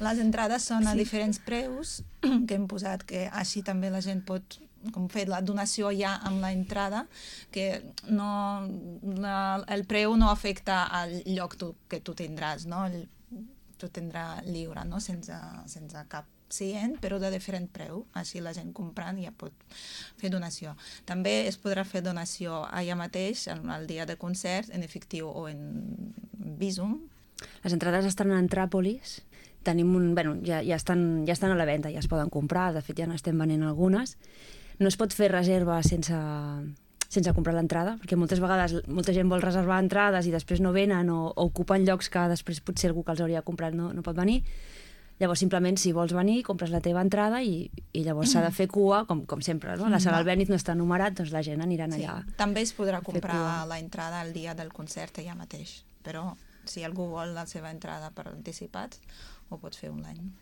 Les entrades són a diferents preus que hem posat, que així també la gent pot com fer la donació ja amb la entrada, que no, el preu no afecta al lloc que tu tindràs, no? Tu tindràs lliure, no? Sense cap cient, però de diferent preu. Així la gent comprant ja pot fer donació. També es podrà fer donació allà mateix, el dia de concert, en efectiu o en Bizum. Les entrades estan a Antràpolis. Tenim ja estan a la venda, ja es poden comprar, de fet ja n'estem venent algunes. No es pot fer reserva sense comprar l'entrada, perquè moltes vegades molta gent vol reservar entrades i després no venen o ocupen llocs que després potser algú que els hauria comprat no pot venir. Llavors, simplement, si vols venir, compres la teva entrada i llavors s'ha de fer cua, com sempre, no? La sala Albéniz no està numerat, doncs la gent aniran allà. També es podrà comprar l'entrada el dia del concert allà mateix, però si algú vol la seva entrada per anticipat, ho pots fer online.